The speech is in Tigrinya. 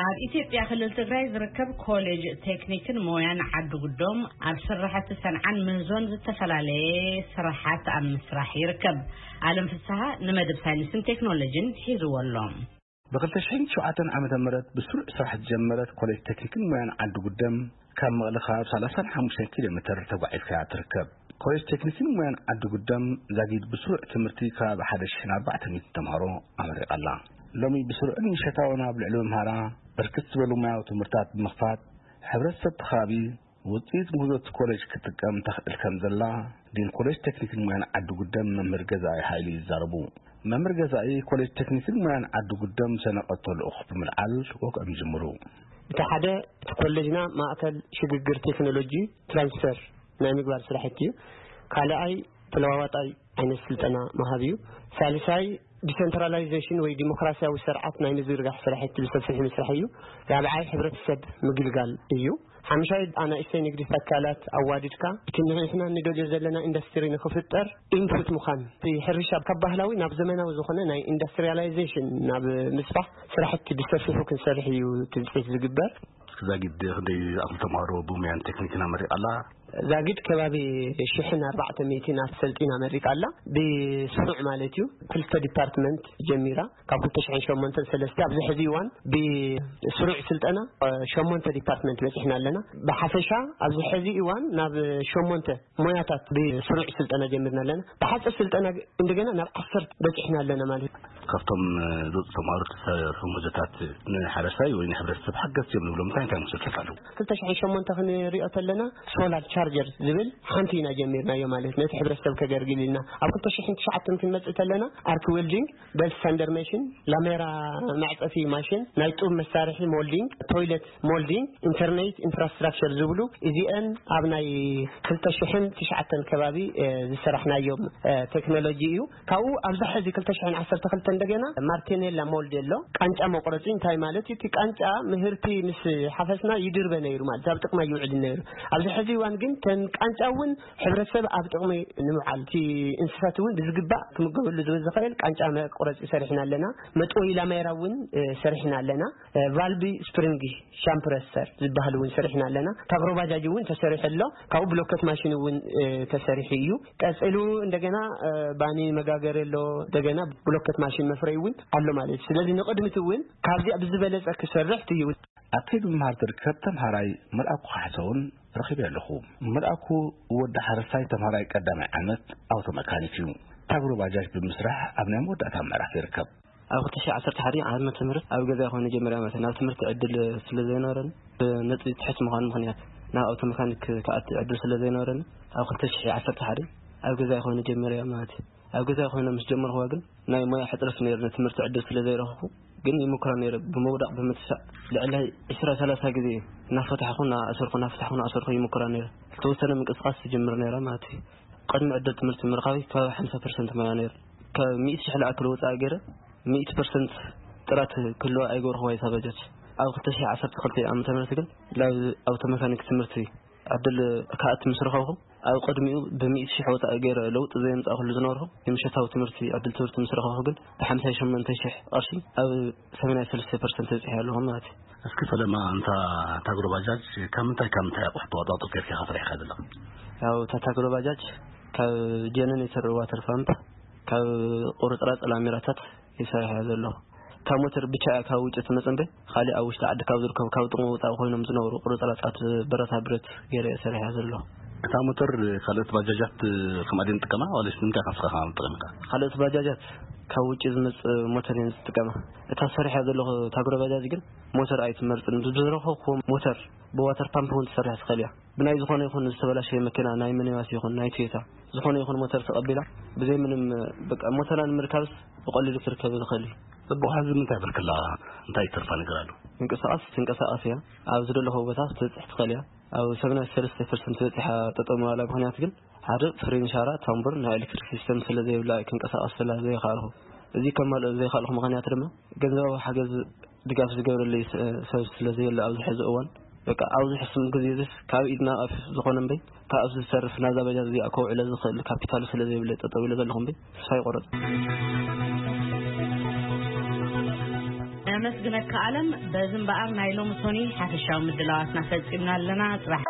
ኣብ ኢትዮጵያ ክልል ትግራይ ዝርከብ ኮሌጅ ቴክኒክን ሞያን ዓዲ ጉዶም ኣብ ስራሕቲ ሰንዓን ምህዞን ዝተፈላለየ ስራሓት ኣብ ምስራሕ ይርከብ። ኣለም ፍስሃ ንመደብ ሳይንስን ቴክኖሎጂን ሒዝዎ ኣሎ። ብ2007 ዓመተ ምህረት ብስሩዕ ስራሕ ዝጀመረት ኮሌጅ ቴክኒክን ሞያን ዓዲ ጉደም ካብ መቐለ ከባቢ 35 ኪሎ ሜትር ተጓዒዝካ ትርከብ። ኮሌጅ ቴክኒክን ሞያን ዓዲ ጉደም ዛጊድ ብስሩዕ ትምህርቲ ከባቢ 1,400 ተምሃሮ ኣመሪቓ ኣላ። ሎሚ ብስሩዕን ምሸታውን ኣብ ልዕሊ መምሃራ ብርክት ዝበሉ ሞያዊ ትምህርታት ብምኽፋት፣ ሕብረተሰብ እቲ ከባቢ ውፅኢት ምህዞ እቲ ኮሌጅ ክትጥቀም ተኽእል ከም ዘላ ዲን ኮሌጅ ቴክኒክን ሞያን ዓዲ ጉደም መምህር ገዛኢ ሃይሉ ይዛረቡ። መምህር ገዛኢ ኮሌጅ ቴክኒክን ሞያን ዓዲ ጉደም ሰነቐቶ ልኡኽ ብምልዓል ወግዖም ይጅምሩ። እቲ ሓደ፣ እቲ ኮሌጅና ማእከል ሽግግር ቴክኖሎጂ ትራንስፈር ናይ ምግባር ስራሕቲ እዩ። ካልኣይ፣ ተለዋዋጣይ ዓይነት ስልጠና ምሃብ እዩ። ሳልሳይ፣ ዲሰንትራላይዜሽን ወይ ዲሞክራሲያዊ ስርዓት ናይ ምዝርጋሕ ስራሕቲ ብሰፊሑ ምስራሕ እዩ። ራብዓይ፣ ሕብረተሰብ ምግልጋል እዩ። ሓምሻይ፣ ኣናእሽተይ ንግዲ ትካላት ኣዋዲድካ እቲ ንሕና ንደልዮ ዘለና ኢንዱስትሪ ንክፍጠር ኢንፑት ምዃን፣ እቲ ሕርሻ ካብ ባህላዊ ናብ ዘመናዊ ዝኾነ ናይ ኢንዱስትሪያላይዜሽን ናብ ምስፋሕ ስራሕቲ ብሰፊሑ ክንሰርሕ እዩ ትፅቢት ዝግበር። እስኪ ዛጊድ ክንደይ ዝኣኽሉ ተምሃሮ ብሙያን ቴክኒክን ኣመሪቓ ኣላ? ዛጊድ ከባቢ ሽሕን ኣርባዕተ ሚእትን ኣሰልጢና ኣመሪቓ ኣላ። ብስሩዕ ማለት እዩ፣ ክልተ ዲፓርትመንት ጀሚራ፣ ካብ ክልተ ሽሕን ሸሞንተን ሰለስተ ኣብዚ ሕዚ እዋን ብስሩዕ ስልጠና፣ እ፣ ሸሞንተ ዲፓርትመንት በፂሕና ኣለና። ብሓፈሻ ኣብዚ ሕዚ እዋን ናብ ሸሞንተ ሞያታት ብስሩዕ ስልጠና ጀሚርና ኣለና። ብሓፂር ስልጠና እንደገና ናብ ዓሰርተ በፂሕና ኣለና ማለት እዩ። ካብቶም፣ እ፣ ዝወፁ ተምሃሮ ተሰርሑ ምህዞታት ንሓረስታይ ወይ ንሕብረተሰብ ሓገዝቲ እዮም ንብሎም እንታይ እንታይ ምህዞታት ኣለዉ? ክልተ ሽሕን ሸሞንተ ክንሪኦ ተለና ሶላር ቻርጀር ዝብል ሓንቲ ኢና ጀሚርናዮ ማለት ነቲ ሕብረተሰብ ከገልግል ኢልና። ኣብ ክልተ ሽሕን ትሽዓተን ክንመፅእ ተለና ኣርክ ዌልዲንግ፣ በልት ሳንደር ማሽን፣ ላሜራ መዕፀፊ ማሽን፣ ናይ ጡብ መሳርሒ ሞልዲንግ፣ ቶይለት ሞልዲንግ፣ ኢንተርኔት ኢንፍራስትራክቸር ዝብሉ እዚአን ኣብ ናይ ክልተ ሽሕን ትሽዓተን ከባቢ፣ እ፣ ዝሰራሕናዮም፣ እ፣ ቴክኖሎጂ እዩ። ካብኡ ኣብዚ ሕዚ ክልተ ሽሕን ዓሰርተ ክልተ እንደገና ማርቴኔላ ሞልድ ኣሎ። ቃንጫ መቁረፂ እንታይ ማለት እዩ? እቲ ቃንጫ ምህርቲ ምስ ሓፈስና ይድርበ ነይሩ ማለት ኣብ ጥቅማ ይውዕል ነይሩ። ኣብዚ ሕዚ እዋን ግን ተን ቃንጫ እውን ሕብረተሰብ ኣብ ጥቅሚ ንምውዓል፣ እቲ እንስሳት እውን ብዝግባእ ክምገበሉ ዝኽእል ቃንጫ መቁረፂ ሰሪሕና ኣለና። መጥወይ ላሜራ እውን፣ እ፣ ሰሪሕና ኣለና። እ፣ ቫልቢ ስፕሪንግ ሻምፕረሰር ዝበሃል እውን ሰሪሕና ኣለና። ታግሮ ባጃጅ እውን ተሰሪሑ ኣሎ። ካብኡ ብሎከት ማሽን እውን፣ እ፣ ተሰሪሑ እዩ። ቀፂሉ እንደገና፣ እ፣ ባኒ መጋገሪ ኣሎ። እንደገና ብሎከት ማሽን መፍረይ እውን ኣሎ ማለት እዩ። ስለዚ ንቕድሚት እውን ካብዚኣ ብዝበለፀ ክሰርሕ እዩ። ኣብ ከይዲ ምምሃር ዝርከብ ተምሃራይ መልኣኩ ካሕሰውን ረኺበ ኣለኹ። መልኣኩ ወዲ ሓረስታይ ተምሃራይ ቀዳማይ ዓመት ኣውቶ መካኒክ እዩ። ታግሮ ባጃጅ ብምስራሕ ኣብ ናይ መወዳእታ ምዕራፍ ይርከብ። ኣብ ክልተ ሽሕ ዓሰርተ ሓደ ዓመተ ምህረት ኣብ ገዛ ኮይኑ ጀመረ ማለት እዩ። ናብ ትምህርቲ ዕድል ስለ ዘይነበረኒ፣ ብነጥቢ ትሕት ምዃኑ ምኽንያት ናብ ኣውቶ መካኒክ ክኣቲ ዕድል ስለ ዘይነበረኒ፣ ኣብ ክልተ ሽሕ ዓሰርተ ሓደ ኣብ ገዛ ኮይኑ ጀመረ ማለት እዩ። ኣብ ገዛ ኮይነ ምስ ጀመርኩዋ ግን ናይ ሞያ ሕጽረት ነይሩ፣ ንትምህርቲ ዕድል ስለ ዘይረኸብኩ ግን ይምኩራ ነይረ። ብምውዳቕ ብምትሳእ ልዕሊ ዕስራ ሰላሳ ግዜ እናፈታሕኹ እናኣሰርኩ፣ እናፈታሕኹ እናኣሰርኩ ይምኩራ ነይረ። ዝተወሰነ ምንቅስቓስ ትጅምር ነይራ ማለት እዩ። ቅድሚ ዕድል ትምህርቲ ምርኻበይ ከባቢ ሓምሳ ፐርሰንት ሞያ ነይሩ። ካብ ሚእቲ ሽሕ ዝኣክል ወጻኢ ገይረ፣ ሚእቲ ፐርሰንት ጥራት ክህልዋ ኣይገበርኩዋ እታ በጀት። ኣብ ክልተ ሽሕ ዓሰርተ ክልተ ዓመተ ምህረት ግን ናብ ኣውቶ መካኒክ ትምህርቲ ዕድል ክኣቱ ምስ ረኸብኩ፣ ኣብ ቅድሚኡ ብሚእቲ ሽሕ ወጻኢ ገይረ ለውጢ ዘየምጻእኩሉ ዝነበርኩ፣ ንምሸታዊ ትምህርቲ ዕድል ትምህርቲ ምስ ረኸብኩ ግን፣ ብሓምሳ ሸሞንተ ሽሕ ቅርሺ ኣብ ሰማንያ ሰለስተ ፐርሰንት በጺሐ ኣለኹ ማለት እዩ። እስኪ ፈለማ፣ እንታ ታግሮ ባጃጅ ካብ ምንታይ ካብ ምንታይ ኣቑሑ ተዋጣጡ ጌርካ ኢኻ ሰሪሕካ ዘለኻ? ያው፣ እታ ታግሮ ባጃጅ ካብ ጀነሬተር ዋተር ፓምፕ፣ ካብ ቁርጽራጽ ላሜራታት ይሰርሕ እየ ዘለኹ። ካብ ሞተር ብቻ እያ ካብ ውጭ ትመጽእ እምበር፣ ካሊእ ኣብ ውሽጢ ዓዲ ካብ ዝርከቡ ካብ ጥቕሚ ወጻኢ ኮይኖም ዝነበሩ ቁርጽራጻት ብረታ ብረት ገይረ እየ ሰሪሐ ዘለኹ። እታ ሞተር ካልኦት ባጃጃት ከምኣ ድየን ዝጥቀማ? ዋላስ ንምንታይ ኢኻ ንስኻ ከምኣ ትጥቀም ኢኻ? ካልኦት ባጃጃት ካብ ውጭ ዝመጽእ ሞተር እየን ዝጥቀማ። እታ ሰሪሐ ዘለኹ ታግሮ ባጃጅ ግን ሞተር ኣይትመርጽን። ብዝረኸብኩዎ ሞተር ብዋተር ፓምፕ እውን ትሰርሕ ትኽእል እያ። ብናይ ዝኾነ ይኹን ዝተበላሸየ መኪና፣ ናይ ሚኒባስ ይኹን ናይ ቶዮታ፣ ዝኾነ ይኹን ሞተር ተቐቢላ፣ ብዘይ ምንም፣ በቃ፣ ሞተራ ንምርካብስ ብቐሊሉ ክርከብ ዝኽእል እዩ። ጽቡቕ፣ ሕዚ ምንታይ ብርክላ፣ እንታይ ይተርፋ ነገር ኣሎ? ምንቅስቓስ ትንቀሳቐስ እያ። ኣብ ዝደለኹዎ ቦታ ክትበጽሕ ትኽእል እያ። ኣብ ሰብዓን ሰለስተን ፐርሰንት በጺሓ ጠጠው ምባላ ምኽንያት ግን፣ ሓደ ፍሬን ሻራ፣ ታምቡር፣ ናይ ኤሌክትሪክ ሲስተም ስለ ዘይብላ፣ ክንቀሳቐሰላ ዘይኸኣልኩ። እዚ ከማልኦ ዘይኸኣልኩ ምኽንያት ድማ፣ ገንዘባዊ ሓገዝ ድጋፍ ዝገብረለይ ስ-፣ ሰብ ስለ ዘየለ ኣብዚ ሕዚ እዋን፣ በቃ፣ ኣብዚ ሕሱም ግዜ እዚስ ካብ ኢድ ናብ ኣፍ ዝኾነ እምበይ፣ ካብ ኣብዚ ዝተርፍ ናዛ በጃ እዚኣ ከውዕለ ዝኽእል ካፒታል ስለ ዘይብለ ጠጠው ኢለ ዘለኹ እምበይ፣ ተስፋ ይቆረጽ። ነመስግነካ ኣለም። በዚ እምበኣር ናይ ሎሚ ሶኒ ሓፈሻዊ ምድላዋትና ፈጺምና ኣለና። ጽባሕ